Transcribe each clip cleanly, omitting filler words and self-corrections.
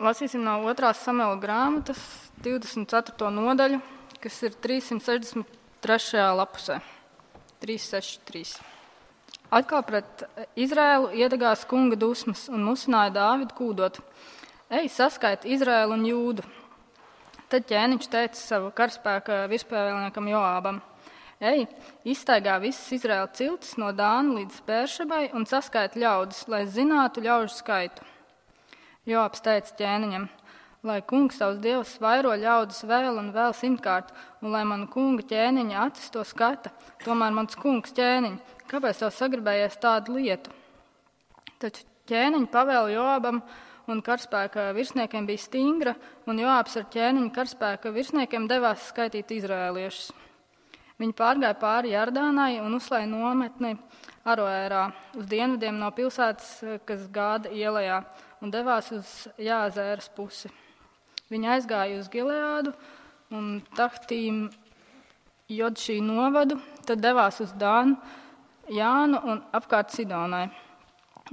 lasīsim no 2. Samuela grāmatas 24. nodaļu, kas ir 363. lapusē. 363. Atkal pret Izraēlu iedegās kunga dusmas un musināja Dāvidu kūdot: Ej, saskaiti Izraēlu un Jūdu. Tad ķēniņš teica savu karaspēka virspēvēlniekam Joābam: Ej, izstaigā visas Izraēla ciltis no Dāna līdz Bēršebai un saskaiti ļaudis, lai zinātu ļaužu skaitu. Joābs teica ķēniņam: Lai kungs tavs dievs vairo ļaudis vēl un vēl 100-kārt, un lai manu kunga ķēniņa acis to skata, tomēr mans kungs ķēniņ, kāpēc tev sagribējies tādu lietu? Taču ķēniņa pavēle Joābam un karaspēka virsniekiem bija stingra, un Joābs ar ķēniņa karaspēka virsniekiem devās skaitīt izraēliešus. Viņi pārgāja pāri Jardānai un uzslēja nometni Aroērā uz dienvidiem no pilsētas, kas Gāda ielajā, un devās uz Jāzēras pusi. Viņi aizgāja uz Gileādu un Tahtīm Jodšī novadu, tad devās uz Dānu, Jānu un apkārt Sidonai.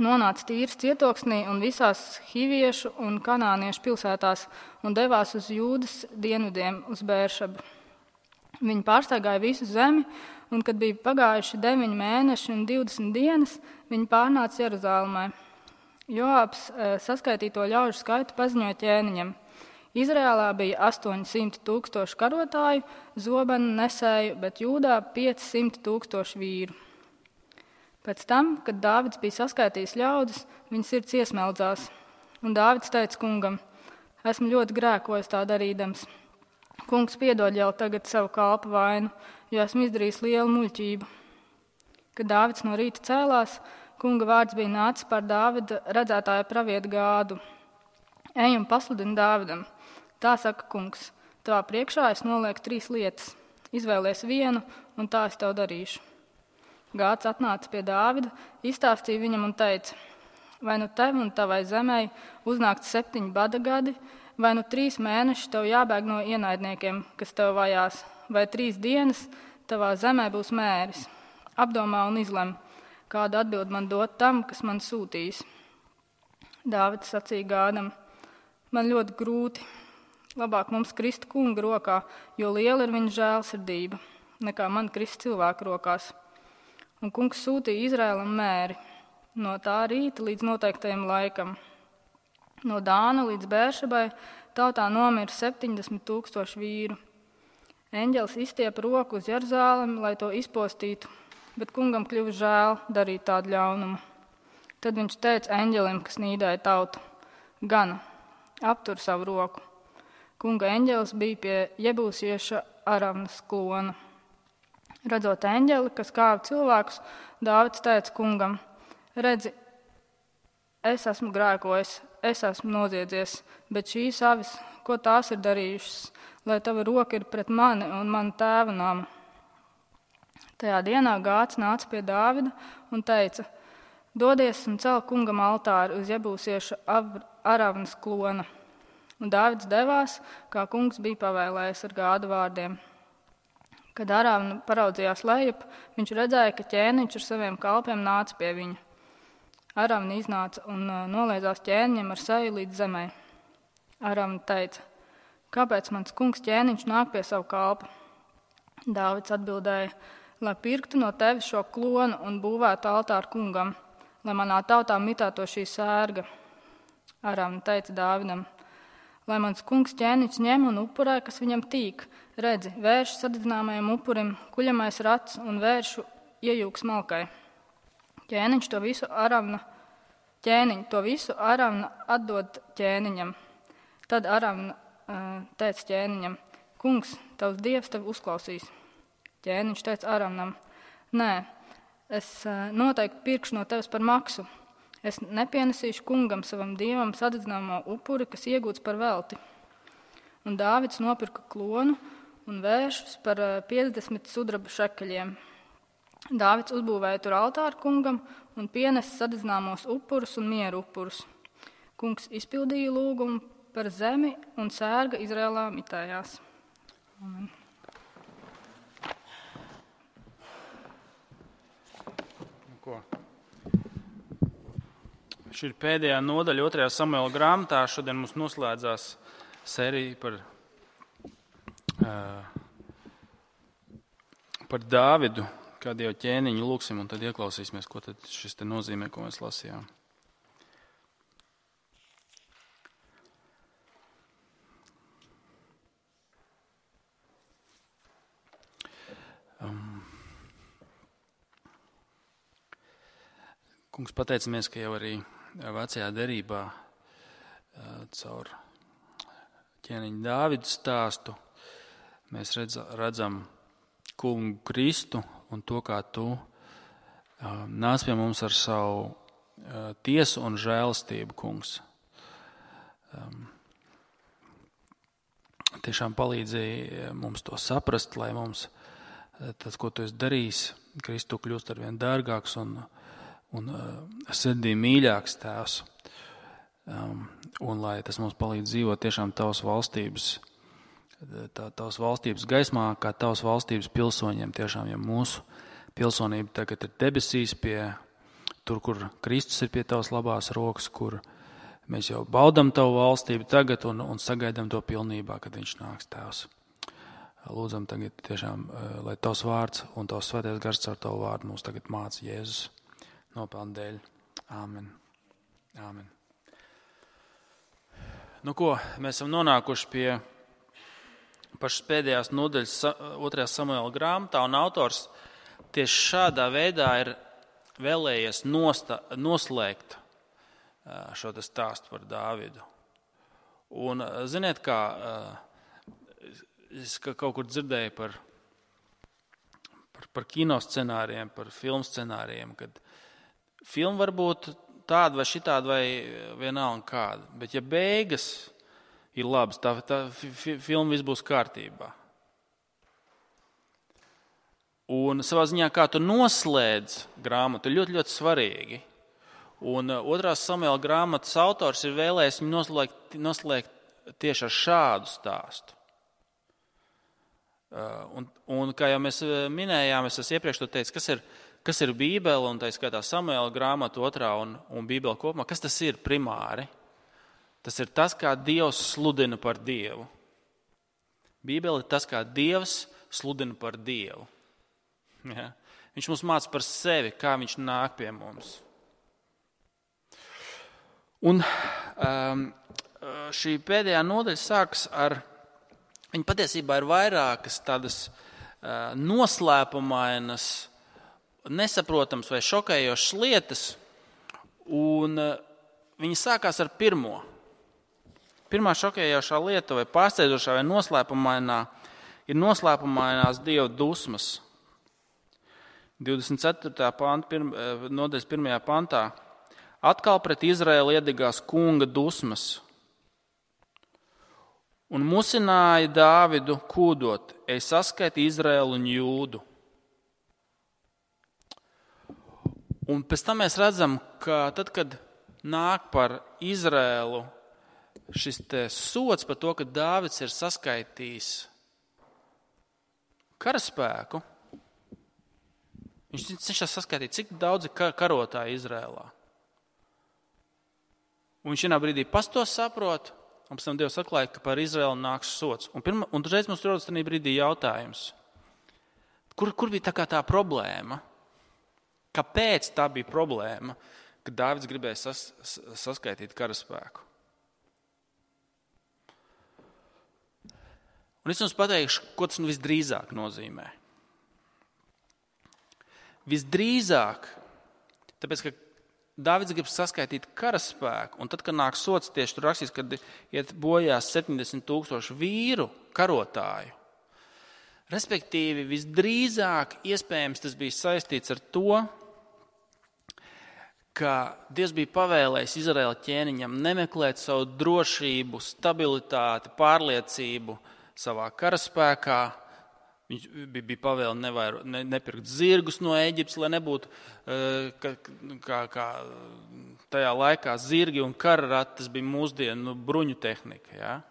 Nonāca Tīras cietoksnī un visās hiviešu un kanāniešu pilsētās un devās uz Jūdas dienvidiem uz Bēršebu. Viņi pārstaigāja visu zemi, un kad bija pagājuši 9 mēneši un 20 dienas, viņi pārnāca Jeruzālēmai. Joābs saskaitīto ļaužu skaitu paziņoja ķēniņam. Izrēlā bija 800 000 karotāju, zobenu nesēju, bet Jūdā 500 000 vīru. Pēc tam, kad Dāvids bija saskaitījis ļaudis, viņa sirds iesmeldzās. Un Dāvids teica kungam: Esmu ļoti grēkojis tā darīdams. Kungs piedod jau tagad savu kalpa vainu, jo esmu izdarījis lielu muļķību. Kad Dāvids no rīta cēlās, kunga vārds bija nācis par Dāvida redzētāja pravietu Gādu. Ej un pasludini Dāvidam. Tā saka kungs: Tavā priekšā es nolieku 3 lietas. Izvēlies vienu, un tā es tev darīšu. Gāds atnāca pie Dāvida, izstāstīja viņam un teica: Vai nu tev un tavai zemei uznākt 7 bada gadi, vai nu 3 mēneši tev jābēg no ienaidniekiem, kas tev vajās, vai 3 dienas tavā zemē būs mēris. Apdomā un izlem, kādu atbildi man dot tam, kas man sūtīs. Dāvids sacīja Gādam: Man ļoti grūti. Labāk mums krist kunga rokā, jo liela ir viņa žēlsirdība, nekā man krist cilvēku rokās. Un kungs sūtīja Izraēlam mēri no tā rīta līdz noteiktajam laikam. No Dāna līdz Bēršebai tautā nomira 70 000 vīru. Eņģelis izstiepa roku uz Jeruzālemi, lai to izpostītu, bet kungam kļuva žēl darīt tādu ļaunumu. Tad viņš teica eņģelim, kas nīdēja tautu: Gana, aptur savu roku. Kunga eņģelis bija pie jebūsieša Aravnas klona. Redzot eņģeli, kas kāva cilvēkus, Dāvids teica kungam: Redzi, es esmu grēkojis, es esmu noziedzies, bet šīs avis, ko tās ir darījušas, lai tava roka ir pret mani un manu tēva namu. Tajā dienā Gāds nāca pie Dāvida un teica: Dodies un cel kungam altāri uz jebūsieša Aravnas klona. Un Dāvids devās, kā kungs bija pavēlējis ar Gāda vārdiem. Kad Aravna paraudzījās lejup, viņš redzēja, ka ķēniņš ar saviem kalpiem nāca pie viņa. Aravna iznāca un noliedzās ķēniņam ar seju līdz zemē. Aravna teica: Kāpēc mans kungs ķēniņš nāk pie savu kalpa? Dāvids atbildēja: Lai pirktu no tevis šo klonu un būvētu altāru kungam, lai manā tautā mitēto šī sērga. Aravna teica Dāvidam: Lai mans kungs ķēniņš ņem un upurē, kas viņam tīk. Redzi, vēršu sadedzināmajam upurim, kuļamais rats un vēršu iejūks malkai. Ķēniņš to visu Aravna atdod ķēniņam. Tad Aravna teica ķēniņam: Kungs, tavs dievs tevi uzklausīs. Ķēniņš teica Aravnam: Nē, es noteikti pirkšu no tevis par maksu. Es nepienesīšu kungam savam dievam sadedzināmo upuri, kas iegūts par velti. Un Dāvids nopirka klonu un vēršus par 50 sudraba šekeļiem. Dāvids uzbūvēja tur altāru kungam un pienesa sadedzināmos upurus un mieru upurus. Kungs izpildīja lūgumu par zemi un sērga Izrēlā mitējās. Amen. Ko? Šī ir pēdējā nodaļa 2. Samuela grāmatā. Šodien mums noslēdzās sērija par Dāvidu, kā Dieva ķēniņu lūksim, un tad ieklausīsimies, ko tad šis te nozīmē, ko mēs lasījām. Kungs, pateicamies, ka jau arī vecajā derībā caur ķēniņu Dāvidu stāstu mēs redzam Kungu Kristu un to, kā tu nāc pie mums ar savu tiesu un žēlastību, Kungs. Tiešām palīdzēja mums to saprast, lai mums tas, ko tu esi darījis, Kristu kļūst arvien dārgāks un sirdī mīļāks Tēvs. Un lai tas mums palīdz dzīvot tiešām Tavas valstības gaismā, kā Tavas valstības pilsoņiem tiešām, ja mūsu pilsonība tagad ir debesīs tur, kur Kristus ir pie Tavas labās rokas, kur mēs jau baudam Tavu valstību tagad un sagaidām to pilnībā, kad Viņš nāks, Tēvs. Lūdzam tagad tiešām, lai Tavs vārds un Tavs svētais gars caur Tavu vārdu mums tagad māca Jēzus nopelnu dēļ. Āmen. Āmen. Nu ko, mēs esam nonākuši pie pašas pēdējās nodaļas 2. Samuela grāmatā, un autors tieši šādā veidā ir vēlējies noslēgt šo stāstu par Dāvidu. Un ziniet, kā es kaut kur dzirdēju par kino scenārijiem, par filmu scenārijiem, kad filma var būt tāda vai šitāda vai vienalga kāda, bet ja beigas ir labas, tā filma viss būs kārtībā. Un savā ziņā, kā tu noslēdz grāmatu, ir ļoti, ļoti svarīgi. Un 2. Samuela grāmatas autors ir vēlējis viņu noslēgt tieši ar šādu stāstu. Un kā jau mēs minējām, es iepriekš to teicu, kas ir Bībele, un tā skaitā Samuela grāmata 2. un Bībele kopumā, kas tas ir primāri? Tas ir tas, kā Dievs sludina par Dievu. Bībele ir tas, kā Dievs sludina par Dievu. Ja? Viņš mums māca par sevi, kā Viņš nāk pie mums. Un šī pēdējā nodaļa sākas ar, viņa patiesībā ir vairākas tādas noslēpumainas, nesaprotams vai šokējošas lietas, un viņi sākās ar pirmo. Pirmā šokējošā lieta vai pārsteidzošā vai noslēpumainā ir noslēpumainās Dieva dusmas. 24. nodaļas 1. pantā. Atkal pret Izraēlu iedegās kunga dusmas un musināja Dāvidu kūdot, ej saskaiti Izraēlu un Jūdu. Un pēc tam mēs redzam, ka tad, kad nāk par Izraēlu šis te sods par to, ka Dāvids ir saskaitījis karaspēku, viņš cenšas saskaitīt, cik daudz ir karotāji Izraēlā. Un viņš vienā brīdī pats to saprot, un pēc tam Dievs atklāja, ka par Izraēlu nāks sods. Un reiz mums rodas tajā brīdī jautājums, kur bija tā problēma? Kāpēc tā bija problēma, ka Dāvids gribēja saskaitīt karaspēku? Un es jums pateikšu, ko tas visdrīzāk nozīmē. Visdrīzāk, tāpēc, ka Dāvids grib saskaitīt karaspēku, un tad, kad nāk sods, tieši tur rakstīs, kad iet bojās 70,000 vīru karotāju. Respektīvi, visdrīzāk iespējams tas bija saistīts ar to, ka Dievs bija pavēlējis Izraēla ķēniņam nemeklēt savu drošību, stabilitāti, pārliecību savā karaspēkā. Viņš bija pavēle nepirkt zirgus no Ēģiptes, lai nebūtu kā tajā laikā zirgi un kararatas bija mūsdienu bruņu tehnika. Ja?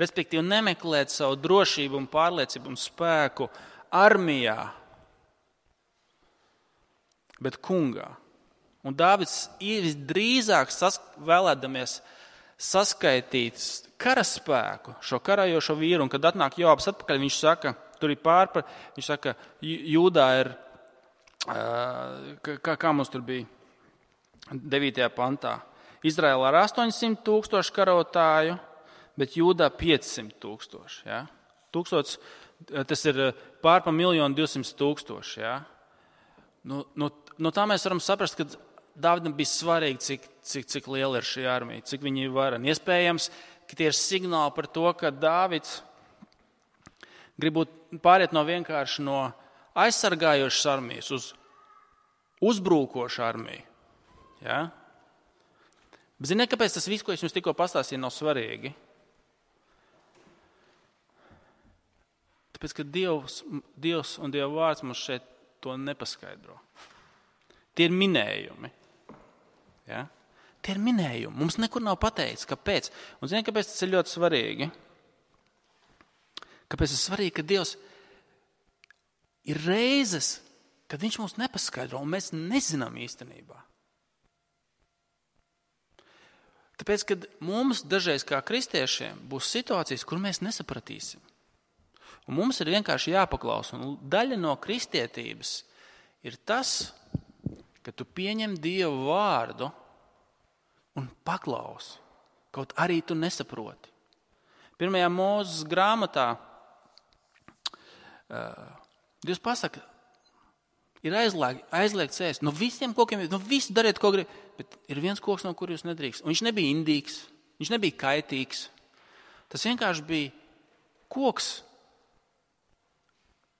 Respektīvi nemeklēt savu drošību un pārliecību un spēku armijā, bet kungā. Un Dāvids visdrīzāk vēlēdamies saskaitīt karaspēku, šo karājošo vīru, un kad atnāk Joabs atpakaļ, viņš saka, tur ir viņš saka, Jūdā ir, kā mums tur bija 9. pantā, Izraēlā ar 800,000 karotāju, bet Jūdā 500,000. Ja? 1000, tas ir pār pa 1,200,000. Ja? No tā mēs varam saprast, ka Dāvidam bija svarīgi, cik liela ir šī armija, cik viņi ir vareni. Iespējams, ka tie ir signāli par to, ka Dāvids grib pāriet vienkārši no aizsargājošas armijas uz uzbrūkošu armiju. Ja? Bet ziniet, kāpēc tas viss, ko es jums tikko pastāstīju, nav svarīgi? Tāpēc, ka Dievs un Dieva vārds mums šeit to nepaskaidro. Tie ir minējumi. Ja? Tie ir minējumi. Mums nekur nav pateikts, kāpēc. Un ziniet, kāpēc tas ir ļoti svarīgi? Kāpēc tas ir svarīgi, ka Dievs ir reizes, kad viņš mums nepaskaidro, un mēs nezinām īstenībā. Tāpēc, kad mums dažreiz kā kristiešiem būs situācijas, kur mēs nesapratīsim. Un mums ir vienkārši jāpaklausa. Un daļa no kristietības ir tas, ka tu pieņem Dievu vārdu un paklausi. Kaut arī tu nesaproti. 1. Mūzes grāmatā Dievs pasaka, ir aizliegts ēst. No visiem kokiem, no visu dariet, ko grib. Bet ir viens koks, no kur jūs nedrīkst. Un viņš nebija indīgs, viņš nebija kaitīgs. Tas vienkārši bija koks,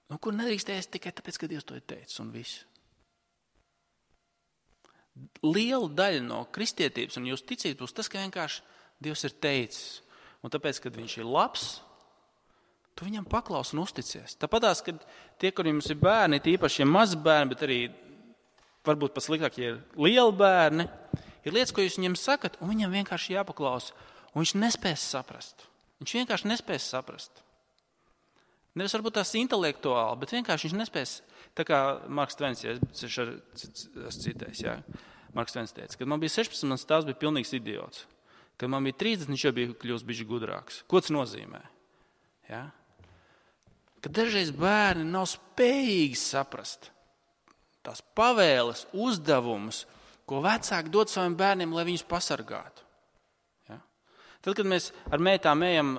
no kur nedrīkst ēst tikai tāpēc, ka Dievs to ir teicis un viss. Liela daļa no kristietības un jūsu ticības būs tas, ka vienkārši Dievs ir teicis. Un tāpēc, kad viņš ir labs, tu viņam paklaus un uzticies. Tāpatās, kad tie, kuriem ir bērni, tīpaši mazi bērni, bet arī varbūt pat sliktāk, ja ir lieli bērni, ir lietas, ko jūs viņam sakat, un viņam vienkārši jāpaklausa. Un viņš nespēs saprast. Viņš vienkārši nespēs saprast. Nevis varbūt tās intelektuāli, bet vienkārši viņš nespēs. Tā kā Marks Tvens, es citējis, jā. Marks Tvens teica, kad man bija 16, mans tēvs bija pilnīgs idiots. Kad man bija 30, viņš jau bija kļūst bišķi gudrāks. Ko tas nozīmē? Ja? Kad dažreiz bērni nav spējīgi saprast tās pavēles, uzdevumus, ko vecāki dod saviem bērniem, lai viņus pasargātu. Ja? Tad, kad mēs ar meitām ejam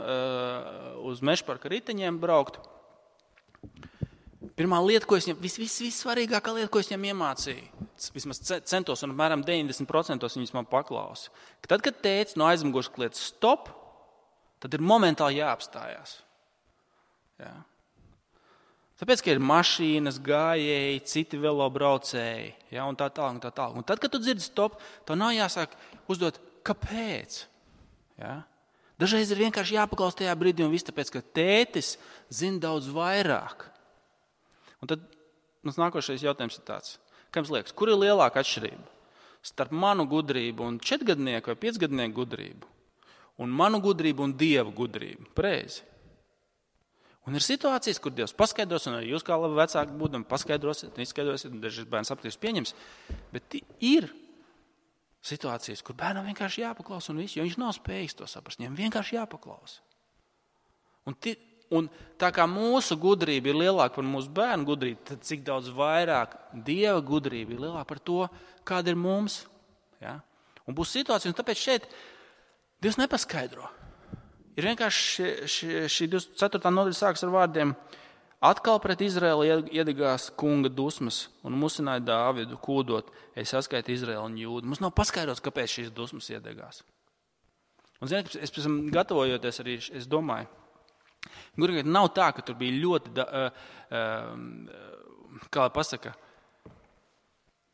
uz mežparka riteņiem braukt, pirmā lieta, ko es viņam, vissvarīgākā lieta, ko es viņam iemācīju, vismaz centos un apmēram 90% viņas man paklausa, ka tad, kad teica no aizmugures kliedz stop, tad ir momentāli jāapstājās. Ja? Tāpēc, ka ir mašīnas, gājēji, citi velobraucēji, ja, un tā tālāk, un tā tālāk. Un tad, kad tu dzirdi stop, tev nav jāsāk uzdot, kāpēc? Ja? Dažreiz ir vienkārši jāpaklaus tajā brīdī, un viss tāpēc, ka tētis zina daudz vairāk. Un tad mums nākošais jautājums ir tāds. Kā jums liekas, kur ir lielāka atšķirība starp manu gudrību un 4-gadnieku vai 5-gadnieku gudrību? Un manu gudrību un Dieva gudrību? Pareizi. Un ir situācijas, kur Dievs paskaidros, un arī jūs kā labi vecāki būdami paskaidrosiet, neizskaidrosiet, un dažreiz bērns sapratīs pieņems. Bet ir situācijas, kur bērnam vienkārši jāpaklaus un viss, jo viņš nav spējīgs to saprast. Viņam vienkārši jāpaklaus. Un tā kā mūsu gudrība ir lielāka par mūsu bērnu gudrību, tad cik daudz vairāk Dieva gudrība ir lielāka par to, kāda ir mums. Ja? Un būs situācija, un tāpēc šeit Dievs nepaskaidro. Ir vienkārši šī 24. nodaļa sākas ar vārdiem: atkal pret Izraēlu iedegās kunga dusmas un musināja Dāvidu kūdot, es saskaitu Izraēlu un Jūdu. Mums nav paskaidrots, kāpēc šīs dusmas iedegās. Un ziniet, es pēc tam gatavojoties arī, es domāju, gurīgi nav tā, ka tur bija ļoti, kā pasaka,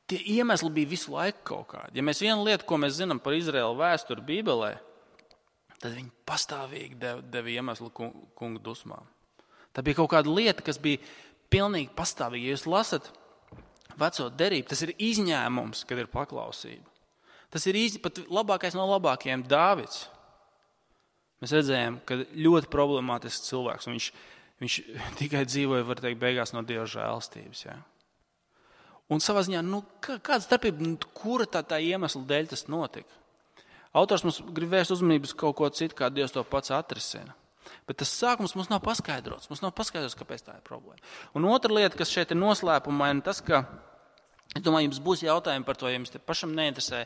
tie iemesli bija visu laiku kaut kādi. Ja mēs vienu lietu, ko mēs zinām par Izraēlu vēsturi Bībelē, tad viņi pastāvīgi deva iemeslu kunga dusmām. Tā bija kaut kāda lieta, kas bija pilnīgi pastāvīga. Ja jūs lasat veco derību, tas ir izņēmums, kad ir paklausība. Tas ir pat labākais no labākajiem Dāvids. Mēs redzējām, ka ļoti problemātisks cilvēks, un viņš tikai dzīvoja, var teikt, beigās no Dieva žēlstības. Ja? Un savā ziņā, kāda starpība, kura tā iemesla dēļ tas notika? Autors mums grib vērst uzmanības kaut ko citu, kā Dievs to pats atrisina. Bet tas sākums mums nav paskaidrots. Mums nav paskaidrots, kāpēc tā ir problēma. Un otra lieta, kas šeit ir noslēpumaina, tas, ka, es domāju, jums būs jautājumi par to, ja jums te pašam neinteresē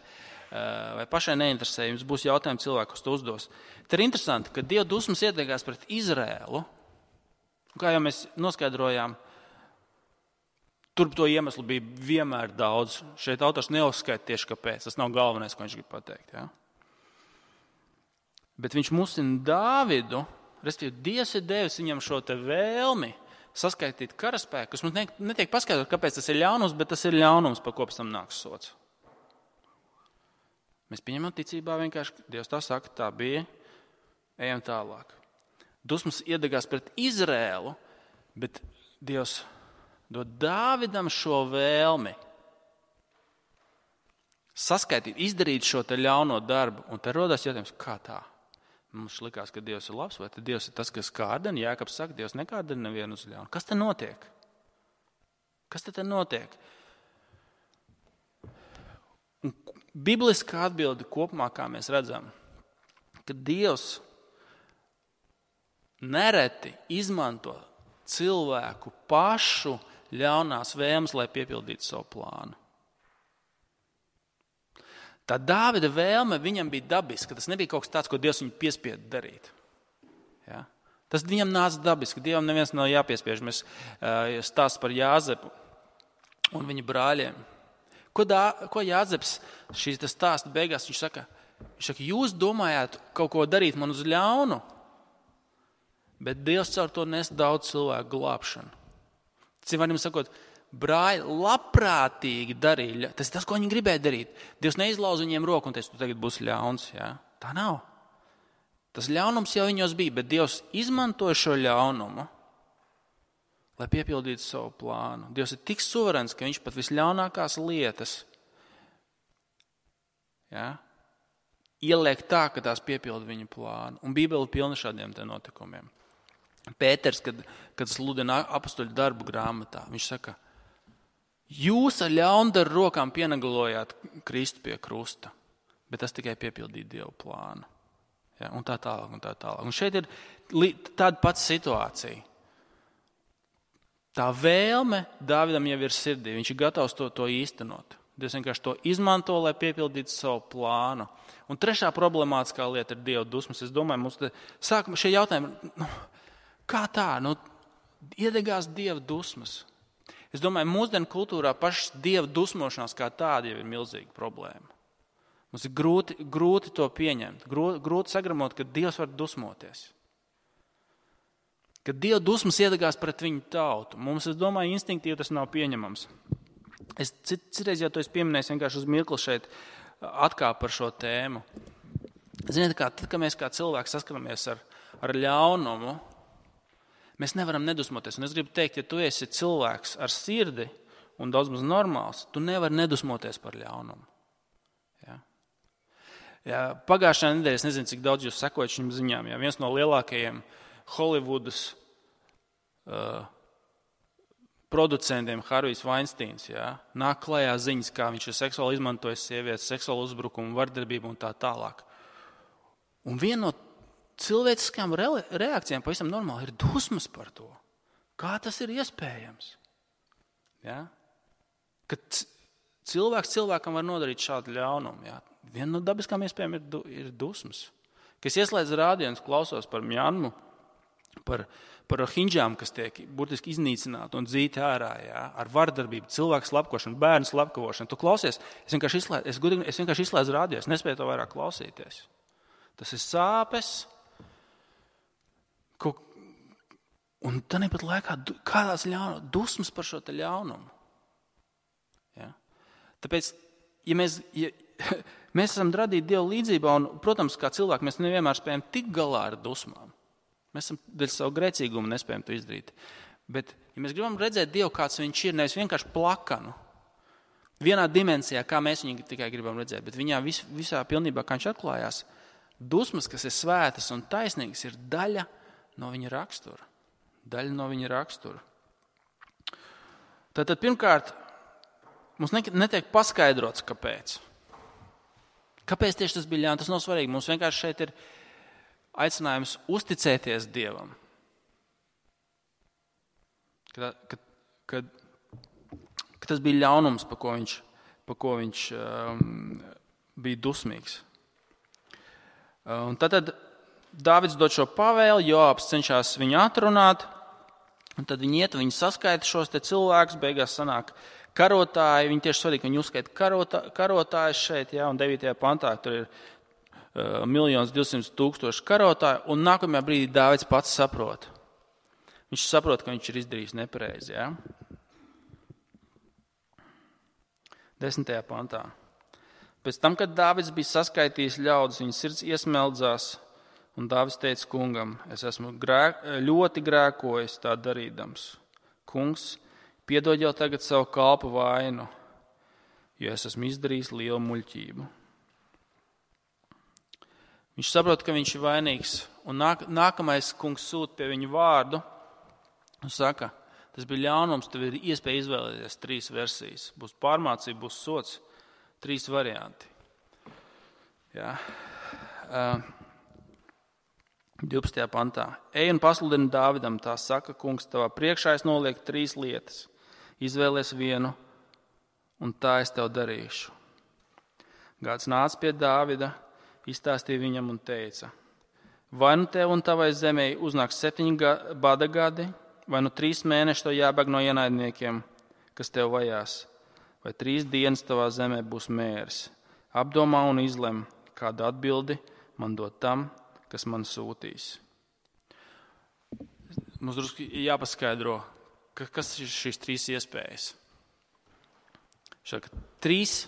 vai pašai neinteresē, jums būs jautājumi cilvēki, kas to uzdos. Te ir interesanti, ka Dieva dusmas iedegās pret Izrēlu, kā jau mēs noskaidrojām, tur to iemeslu bija vienmēr daudz. Šeit autors neuzskaita tieši kāpēc. Tas nav galvenais, ko viņš grib pateikt. Ja? Bet viņš musina Dāvidu, respektīvi Dievs ir devis viņam šo te vēlmi saskaitīt karaspēku, kas mums netiek paskaidrot, kāpēc tas ir ļaunums, bet tas ir ļaunums, par ko pēc tam nāks sots. Mēs pieņemam ticībā vienkārši, Dievs tā saka, tā bija, ejam tālāk. Dusmas iedegās pret Izrēlu, bet Dievs dod Dāvidam šo vēlmi saskaitīt, izdarīt šo te ļauno darbu. Un te rodas jautājums, kā tā? Mums likās, ka Dievs ir labs, vai tad Dievs ir tas, kas kārdina? Jākabs saka, Dievs nekārdina nevienu uz ļaunu. Kas te notiek? Kas te notiek? Un bibliskā atbilde kopumā, kā mēs redzam, ka Dievs nereti izmanto cilvēku pašu ļaunās vēlmes, lai piepildītu savu plānu. Tā Dāvida vēlme viņam bija dabiska. Tas nebija kaut kas tāds, ko Dievs viņu piespieda darīt. Ja? Tas viņam nāca dabiski. Dievam neviens nav jāpiespiež. Mēs stāst par Jāzepu un viņa brāļiem. Ko Jāzeps šīs stāsta beigās? Viņš saka, jūs domājāt kaut ko darīt man uz ļaunu, bet Dievs caur to nes daudz cilvēku glābšanu. Citiem sakot, brāļi labprātīgi darīja. Tas ir tas, ko viņi gribēja darīt. Dievs neizlauza viņiem roku un teica, tu tagad būsi ļauns. Ja? Tā nav. Tas ļaunums jau viņos bija, bet Dievs izmantoja šo ļaunumu, lai piepildītu savu plānu. Dievs ir tik suverēns, ka viņš pat visļaunākās lietas ieliek tā, ka tās piepilda viņa plānu. Un Bībele ir pilna šādiem te notikumiem. Pēters, kad sludina apostoļu darbu grāmatā, viņš saka, jūs ar ļaundaru rokām pienegalojāt Kristu pie krusta, bet tas tikai piepildīja Dievu plānu. Ja, un tā tālāk, un tā tālāk. Un šeit ir tāda pati situācija. Tā vēlme Dāvidam jau ir sirdī, viņš ir gatavs to īstenot. Dievs vienkārši to izmanto, lai piepildītu savu plānu. Un trešā problemātiskā lieta ir Dieva dusmas. Es domāju, mums sākumā šie jautājumi, kā tā? Iedegās Dieva dusmas. Es domāju, mūsdienu kultūrā pašas Dieva dusmošanās kā tāda jau ir milzīga problēma. Mums ir grūti to pieņemt, grūti sagramot, ka Dievs var dusmoties. Kad Dieva dusmas iedegās pret viņu tautu, mums, es domāju, instinktīvi tas nav pieņemams. Es citreiz jau to pieminēju, vienkārši uz mirkli šeit atkāpu par šo tēmu. Ziniet, tad, kad mēs kā cilvēki saskaramies ar ļaunumu, mēs nevaram nedusmoties. Un es gribu teikt, ja tu esi cilvēks ar sirdi un daudz maz normāls, tu nevari nedusmoties par ļaunumu. Ja, pagājušajā nedēļā, es nezinu, cik daudz jūs sekojat šīm ziņām, ja viens no lielākajiem Holivudas producentiem, Harvijs Vainsteins, nāk klajā ziņas, kā viņš ir seksuāli izmantojis sievietes, seksuālu uzbrukumu, vardarbību un tā tālāk. Un viena no cilvēciskām reakcijām pavisam normāli ir dusmas par to. Kā tas ir iespējams? Ja? Kad cilvēks cilvēkam var nodarīt šādu ļaunumu. Ja? Viena no dabiskām iespējām ir dusmas. Kad es ieslēdzu rādio un klausos par Mjanmu, par rohinģām, kas tiek burtiski iznīcināti un dzīti ārā, ar vardarbību, cilvēku slepkošanu, bērnu slepkavošanu. Tu klausies, es vienkārši izslēdzu rādio, es nespēju to vairāk klausīties. Tas ir sāpes. Un tāpat laikā kādās dusmas par šo te ļaunumu. Ja? Tāpēc, ja mēs esam radīti Dieva līdzībā, un, protams, kā cilvēki, mēs nevienmēr spējam tikt galā ar dusmām. Mēs esam dēļ savu grēcīgumu nespējam to izdarīt. Bet, ja mēs gribam redzēt Dievu, kāds viņš ir, nevis vienkārši plakanu, vienā dimensijā, kā mēs viņu tikai gribam redzēt, bet viņā visā pilnībā, kā viņš atklājās, dusmas, kas ir svētas un taisnīgas, ir daļa no viņa rakstura. Daļa no viņa rakstura. Tātad pirmkārt, mums netiek paskaidrots, kāpēc. Kāpēc tieši tas bija ļauns? Tas nav svarīgi. Mums vienkārši šeit ir aicinājums uzticēties Dievam. Kad tas bija ļaunums, pa ko viņš bija dusmīgs. Un tad Dāvids dod šo pavēli, Joabs cenšas viņu atrunāt, un tad viņi iet, viņi saskaita šos te cilvēkus, beigās sanāk karotāji, viņi tieši svarīgi, ka viņi uzskaita karotājus šeit, jā, un 9. pantā tur ir 1,200,000 karotāju, un nākamajā brīdī Dāvids pats saprot. Viņš saprot, ka viņš ir izdarījis nepareizi, jā. 10. pantā. Pēc tam, kad Dāvids bija saskaitījis ļaudis, viņa sirds iesmeldzās, un Dāvids teica kungam, es esmu ļoti grēkojis tā darīdams. Kungs, piedod jau tagad savu kalpu vainu, jo es esmu izdarījis lielu muļķību. Viņš saprot, ka viņš ir vainīgs, un nākamais kungs sūta pie viņu vārdu un saka, tas bija ļaunums, tev ir iespēja izvēlēties 3 versijas. Būs pārmācība, būs sots, 3 varianti. Jā. 12. pantā. Ej un pasludini Dāvidam, tā saka, kungs, tavā priekšā es nolieku 3 lietas. Izvēlies vienu, un tā es tev darīšu. Gāds nāca pie Dāvida, izstāstīja viņam un teica, vai nu tev un tavai zemē uznāks 7 bada gadi, vai nu 3 mēneši tev jābēg no ienaidniekiem, kas tev vajās, vai 3 dienas tavā zemē būs mērs. Apdomā un izlem, kādu atbildi man dot tam, kas man sūtīs. Mums drusku jāpaskaidro, kas ir šīs 3 iespējas. Šāk 3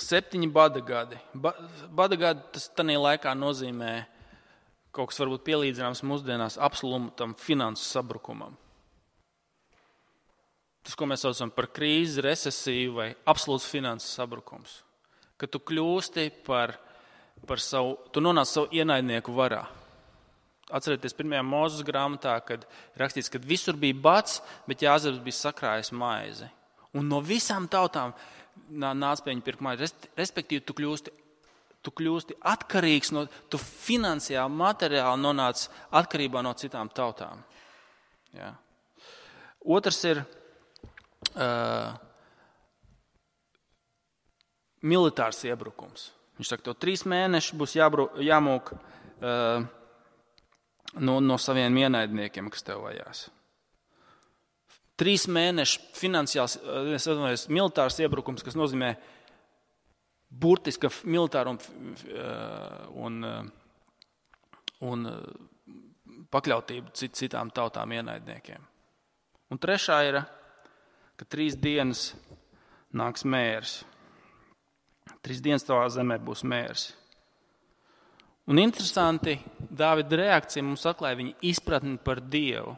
7 bada gadi. Bada gadi tas tanī laikā nozīmē kaut kas varbūt pielīdzināms mūsdienās absolūtam finansu sabrukumam. Tas, ko mēs saucam par krīzi, recesiju vai absolūts finansu sabrukums. Kad tu kļūsti par savu, tu nonāc savu ienaidnieku varā. Atcerieties 1. Mūzes grāmatā, kad rakstīts, ka visur bija bats, bet Jāzeps bija sakrājis maizi. Un no visām tautām nāc pie viņa pirkt maizi. Respektīvi, tu kļūsti atkarīgs, tu finansiāli, materiāli nonāc atkarībā no citām tautām. Jā. Otrs ir militārs iebrukums. Viņš saka, tev 3 mēneši būs jāmūk no saviem ienaidniekiem, kas tev vajās. 3 mēneši finansiāls, militārs iebrukums, kas nozīmē burtiska militāra un pakļautību citām tautām ienaidniekiem. Un trešā ir, ka 3 dienas nāks mērs. 3 dienas tavā zemē būs mērs. Un interesanti, Dāvida reakcija mums atklāja viņa izpratni par Dievu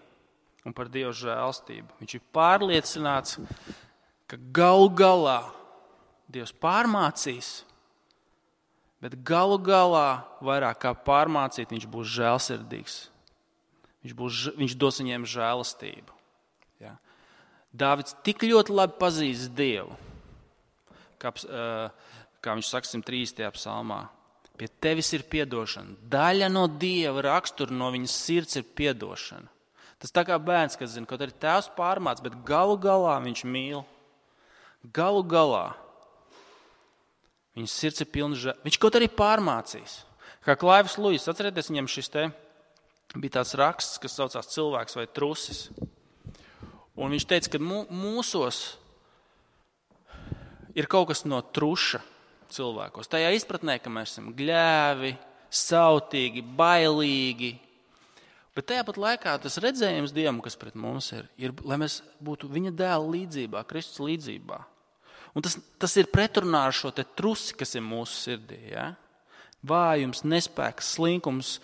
un par Dieva žēlstību. Viņš ir pārliecināts, ka galu galā Dievs pārmācīs, bet galu galā vairāk kā pārmācīt, viņš būs žēlsirdīgs. Viņš dos viņiem žēlastību. Ja. Dāvids tik ļoti labi pazīst Dievu, kā viņš saka 103. psalmā. Pie tevis ir piedošana. Daļa no Dieva rakstura, no viņas sirds ir piedošana. Tas tā kā bērns, kas zina, kaut arī tēvs pārmāc, bet galu galā viņš mīl. Galu galā viņas sirds ir pilna žēl. Viņš kaut arī pārmācīs. Kā Klaivs Luis, atcerieties, viņam šis te bija tāds raksts, kas saucās cilvēks vai trusis. Un viņš teica, ka mūsos ir kaut kas no truša cilvēkos. Tajā izpratnē, ka mēs esam gļēvi, sautīgi, bailīgi. Bet tajā pat laikā tas redzējums Dievam, kas pret mums ir, lai mēs būtu viņa dēla līdzībā, Kristus līdzībā. Un tas ir pretrunā ar šo te trusi, kas ir mūsu sirdī. Ja? Vājums, nespēks, slinkums,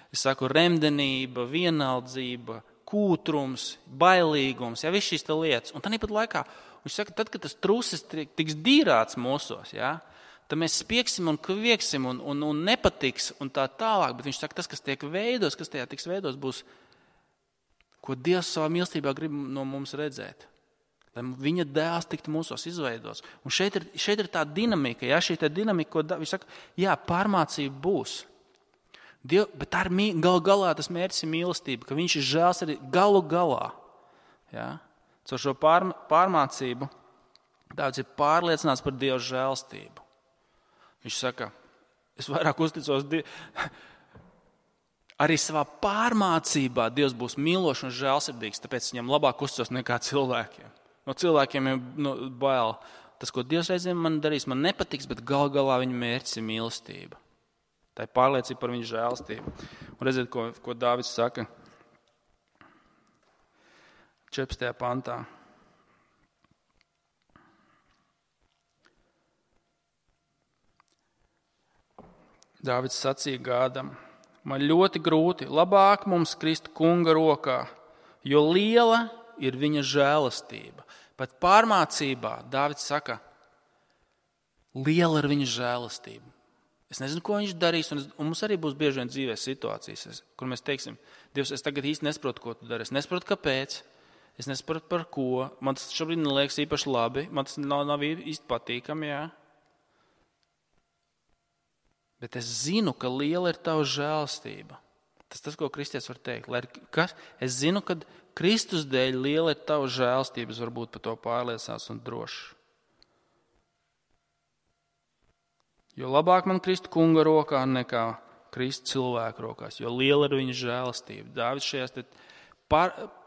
es saku, remdenība, vienaldzība, kūtrums, bailīgums, ja, viss šīs te lietas. Un tāpat laikā viņš saka, tad, kad tas trusis tiks dīrāts mūsos, ja, tad mēs spieksim un kvieksim un nepatiks un tā tālāk. Bet viņš saka, tas, kas tiek veidos, kas tajā tiks veidos, būs ko Dievs savā mīlestībā grib no mums redzēt. Lai viņa dēls tiktu mūsos izveidots. Un šeit ir tā dinamika, ja? Šī dinamika, ko viņš saka, jā, pārmācība būs. Bet tā ir galu galā tas mērķis ir mīlestība, ka viņš ir žēls arī galu galā. Ja? Caur šo pārmācību Dāvids ir pārliecināts par Dieva žēlstību. Viņš saka, es vairāk uzticos arī savā pārmācībā Dievs būs mīlošs un žēlsirdīgs, tāpēc viņam labāk uzticos nekā cilvēkiem. No cilvēkiem ir bail. Tas, ko Dievs reizēm man darīs, man nepatiks, bet gal galā viņa mērķis ir mīlestība. Tā ir pārliecība par viņa žēlstību. Un redziet, ko Dāvids saka 14. pantā. Dāvids sacīja Gādam, man ļoti grūti, labāk mums krist kunga rokā, jo liela ir viņa žēlastība. Pat pārmācībā Dāvids saka, liela ir viņa žēlastība. Es nezinu, ko viņš darīs, un mums arī būs bieži vien dzīvē situācijas, kur mēs teiksim, Dievs, es tagad īsti nesaprotu, ko tu dari, es nesaprotu, kāpēc, es nesaprotu, par ko, man tas šobrīd neliekas īpaši labi, man tas nav īsti patīkami, jā. Bet es zinu, ka liela ir tava žēlastība. Tas, ko kristietis var teikt. Es zinu, ka Kristus dēļ liela ir tava žēlastība. Es varbūt par to pārliecinās un droši. Jo labāk man krist kunga rokā nekā krist cilvēku rokās. Jo liela ir viņa žēlastība. Dāvids šajās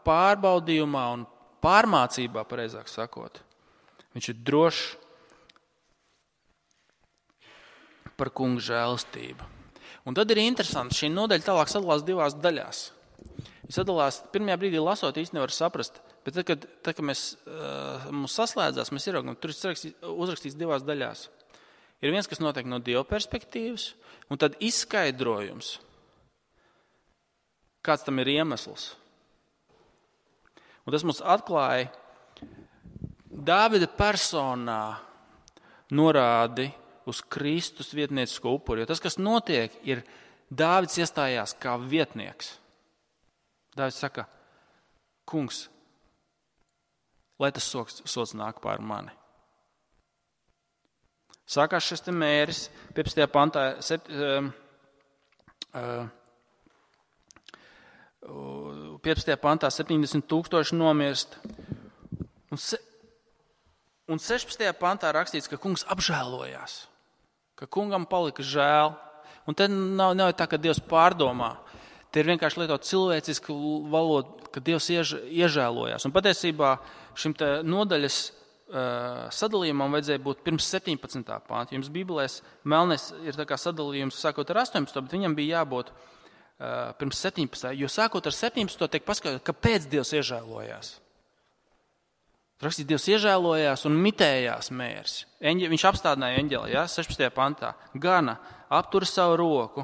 pārbaudījumā un pārmācībā, pareizāk sakot, viņš ir drošs par kunga žēlastību. Un tad ir interesanti, šī nodaļa tālāk sadalās divās daļās. Viņa sadalās, pirmajā brīdī lasot īsti nevar saprast, bet tad, kad mums saslēdzās, mēs ieraugam, tur ir uzrakstīts divās daļās. Ir viens, kas notiek no Dieva perspektīvas, un tad izskaidrojums, kāds tam ir iemesls. Un tas mums atklāja Dāvida personā norādi uz Kristus vietniecisko upuri. Jo tas, kas notiek, ir Dāvids iestājās kā vietnieks. Dāvids saka, kungs, lai tas sots nāk pār mani. Sākās šis te mēris, 15. pantā, 15. pantā 70,000 nomirst. Un 16. pantā rakstīts, ka kungs apžēlojās. Ka kungam palika žēl. Un te nav tā, ka Dievs pārdomā. Te ir vienkārši lietot cilvēcisku valodu, ka Dievs iežēlojās. Un patiesībā šim te nodaļas sadalījumam vajadzēja būt pirms 17. panta. Jums Bībelēs melnais ir tā kā sadalījums sākot ar 18. bet viņam bija jābūt pirms 17. Jo sākot ar 17. tiek paskaidrots, kāpēc Dievs iežēlojās. Rakstīt, Dievs iežēlojās un mitējās mērs. Viņš apstādināja eņģeli, ja, 16. pantā. Gana aptura savu roku.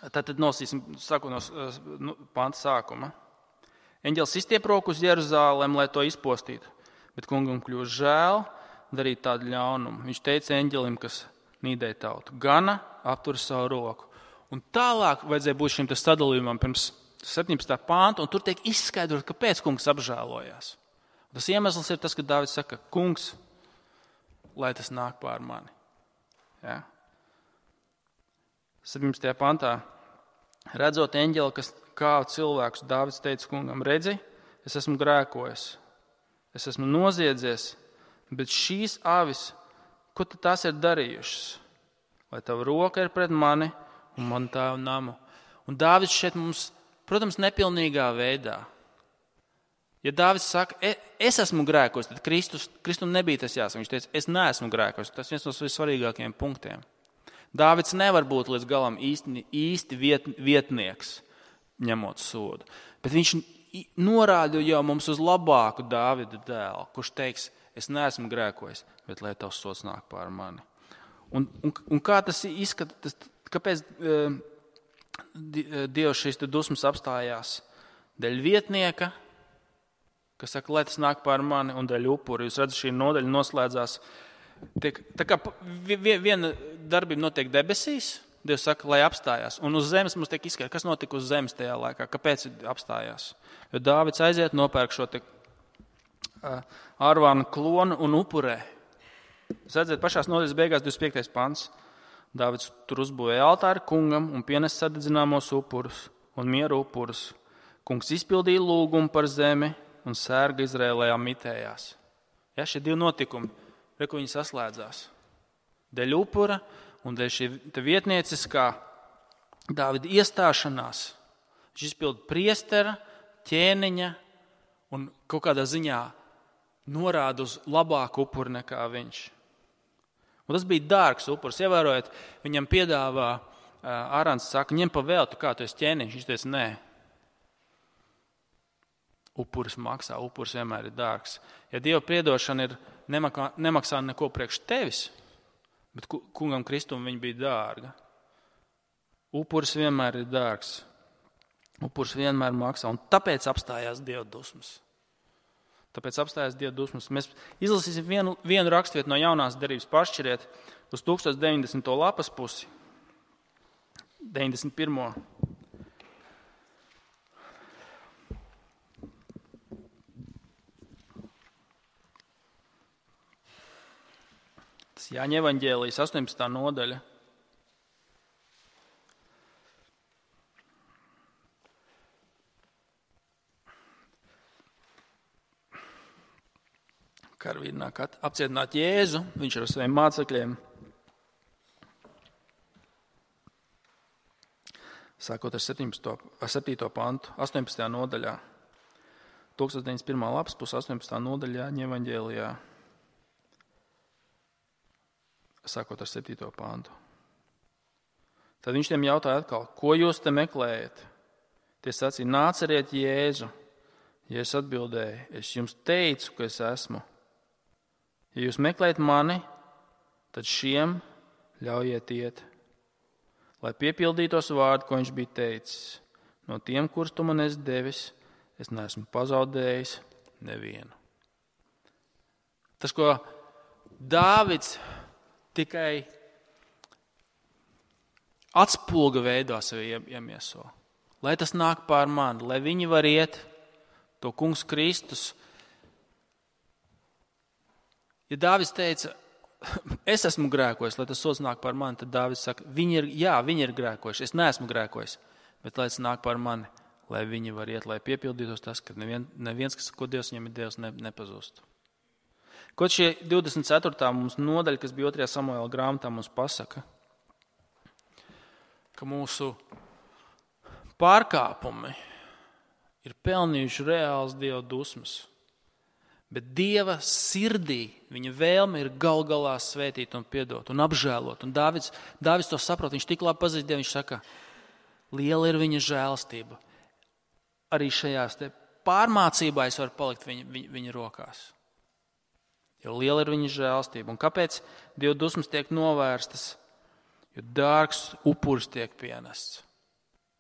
Tad nosīsim, saku no panta sākuma. Eņģelis izstiep roku uz Jeruzālem, lai to izpostītu. Bet kungam kļūst žēl darīt tādu ļaunumu. Viņš teica eņģelim, kas nīdēja tautu. Gana aptura savu roku. Un tālāk vajadzēja būt šim sadalījumam pirms 17. pānta, un tur tiek izskaidrot, kāpēc kungs apžēlojās. Tas iemesls ir tas, ka Dāvids saka, kungs, lai tas nāk pār mani. Ja? 17. pāntā, redzot eņģeli, kas kāva cilvēkus, Dāvids teica kungam, redzi, es esmu grēkojis, es esmu noziedzies, bet šīs avis, ko tad tās ir darījušas? Lai tava roka ir pret mani un man tavu namu. Un Dāvids šeit mums, protams, nepilnīgā veidā. Ja Dāvids saka, es esmu grēkojis, tad Kristum nebija tas jāsaka. Viņš teica, es neesmu grēkojis. Tas viens no vissvarīgākajiem punktiem. Dāvids nevar būt līdz galam īsti vietnieks, ņemot sodu. Bet viņš norāda jau mums uz labāku Dāvida dēlu, kurš teiks, es neesmu grēkojis, bet lai tavs sods nāk pār mani. Un kā tas izskatās, kāpēc Dievs šīs dusmas apstājās? Dēļ vietnieka, kas saka, lai tas nāk pār mani, un dēļ upuri. Jūs redzat, šī nodaļa noslēdzās. Tā kā viena darbība notiek debesīs, Dievs saka, lai apstājās. Un uz zemes mums tiek izskaidrots, kas notika uz zemes tajā laikā, kāpēc apstājās. Jo Dāvids aiziet, nopērk šo ārvānu klonu un upurē. Jūs redzat, pašās nodaļas beigās 25. pants. Dāvids tur uzbūvēja altāri kungam un pienes sadedzināmos upurus un mieru upurus. Kungs izpildīja lūgumu par zemi un sērga Izrēlējā mitējās. Ja, šie divi notikumi, kur viņi saslēdzās. Dēļ upura un dēļ šī vietnieciskā Dāvida iestāšanās. Viņš izpilda priestera, ķēniņa un kaut kādā ziņā norāda uz labāku upuru nekā viņš. Un tas bija dārgs upurs. Ievērojot, viņam piedāvā Ārons saka, ņem pa veltu, kā tu esi ķēniņš. Viņš teica, nē. Upuris maksā, upuris vienmēr ir dārgs. Ja Dieva piedošana nemaksā neko priekš tevis, bet kungam Kristum viņa bija dārga. Upuris vienmēr ir dārgs. Upuris vienmēr maksā, un tāpēc apstājās Dieva dusmas. Mēs izlasīsim vienu rakstvietu no jaunās derības, pašķiriet uz 1090. lapas pusi, 91. Tas Jāņa evaņģēlijas 18. nodaļa. Karavīri nāk apcietināt Jēzu, viņš ar saviem mācekļiem. Sākot ar 7. pantu, 18. nodaļā. 1091. lapas pus 18. nodaļā Jāņa evaņģēlijā. Sākot ar 7. pantu. Tad viņš tiem jautāja atkal, ko jūs te meklējat? Tie sacīja, nāceriet Jēzu. Jēzus atbildēja, es jums teicu, ka es esmu. Ja jūs meklējat mani, tad šiem ļaujiet iet, lai piepildītos vārdu, ko viņš bija teicis. No tiem, kurus tu man esi devis, es neesmu pazaudējis nevienu. Tas, ko Dāvids tikai atspulga veidā sevi iemieso, lai tas nāk pār mani, lai viņi var iet to kungs Kristus. Ja Dāvids teica, es esmu grēkojis, lai tas sods nāk par mani, tad Dāvids saka, viņi ir grēkojuši, es neesmu grēkojis, bet lai tas nāk par mani, lai viņi var iet, lai piepildītos tas, ka neviens, ko Dievs viņam ir Dievs, nepazūst. Kaut šie 24. mums nodaļa, kas bija 2. Samuēla grāmatā, mums pasaka, ka mūsu pārkāpumi ir pelnījuši reāls Dieva dusmas. Bet Dieva sirdī viņa vēlme ir galā svētīt un piedot un apžēlot. Un Dāvids to saprot, viņš tik labi pazīst Dievu, viņš saka, liela ir viņa žēlastība. Arī šajās te pārmācībā es varu palikt viņa rokās. Jo liela ir viņa žēlastība. Un kāpēc Dieva dusmas tiek novērstas? Jo dārgs upuris tiek pienests.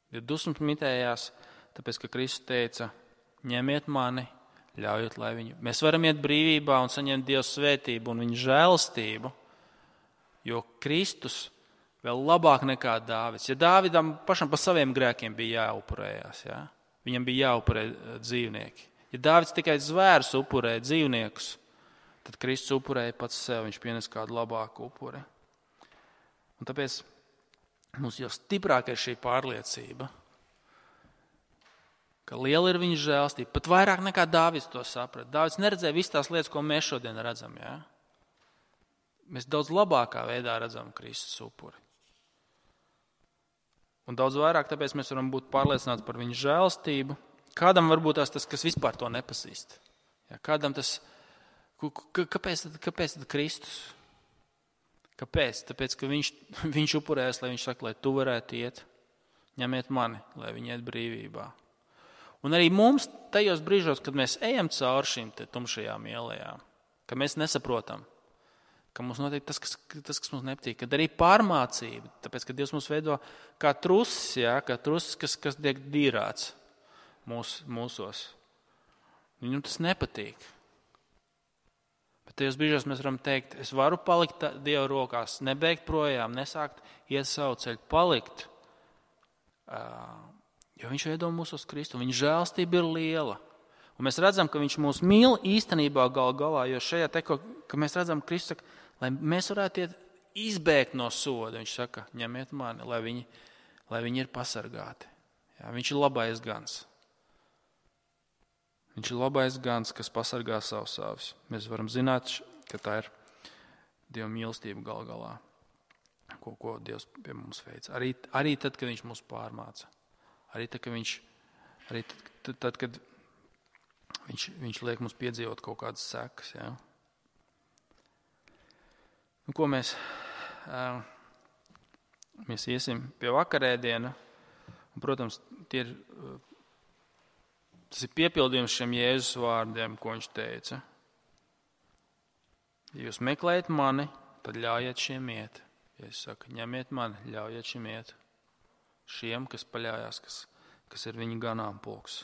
Dieva dusmas mitējās, tāpēc, ka Kristus teica, ņemiet mani, ļaujiet, lai mēs varam iet brīvībā un saņemt Dieva svētību un viņa žēlastību, jo Kristus vēl labāk nekā Dāvids. Ja Dāvidam pašam par saviem grēkiem bija jāupurējās, ja? Viņam bija jāupurē dzīvnieki. Ja Dāvids tikai zvērus upurēja dzīvniekus, tad Kristus upurēja pats sev, viņš pienes kādu labāku upuri. Un tāpēc mums jau stiprāk ir šī pārliecība, ka liela ir viņa žēlastība, pat vairāk nekā Dāvids to saprata. Dāvids neredzēja visas tās lietas, ko mēs šodien redzam. Ja? Mēs daudz labākā veidā redzam Kristus upuri. Un daudz vairāk, tāpēc mēs varam būt pārliecināti par viņa žēlastību. Kādam varbūt tas, kas vispār to nepazīst. Ja? Kādam tas, kāpēc tad Kristus? Kāpēc? Tāpēc, ka viņš upurēs, lai viņš saka, lai tu varētu iet, ņemiet mani, lai viņi iet brīvībā. Un arī mums tajos brīžos, kad mēs ejam cauri šīm tumšajām ielējām, ka mēs nesaprotam, ka mums notiek tas, kas mums nepatīk, kad arī pārmācība, tāpēc, ka Dievs mūs veido kā trusis, ja, kā trusis, kas tiek dīrāts mūsos. Viņam tas nepatīk. Bet tajos brīžos mēs varam teikt, es varu palikt Dieva rokās, nebeigt projām, nesākt iet savu ceļu, palikt. Jo viņš veido mūs uz Kristu, viņa žēlstība ir liela. Un mēs redzam, ka viņš mūs mīl īstenībā gal galā, jo šajā teko, ka mēs redzam, Kristus saka, lai mēs varētu izbēgt no soda. Viņš saka, ņemiet mani, lai viņi ir pasargāti. Jā, viņš ir labais gans. Viņš ir labais gans, kas pasargā savus savus. Mēs varam zināt, ka tā ir Dieva mīlestība gal galā, ko Dievs pie mums veic. Arī tad, kad viņš mūs pārmāca. Arī tad, kad viņš liek mums piedzīvot kaut kādas sekas. Ja? Ko mēs iesim pie vakarēdiena. Un, protams, tas ir piepildījums šiem Jēzus vārdiem, ko viņš teica. Ja jūs meklējat mani, tad ļaujiet šiem iet. Ja es saku, ņemiet mani, ļaujiet šiem iet. Šiem, kas paļājās, kas ir viņa ganāmpulks.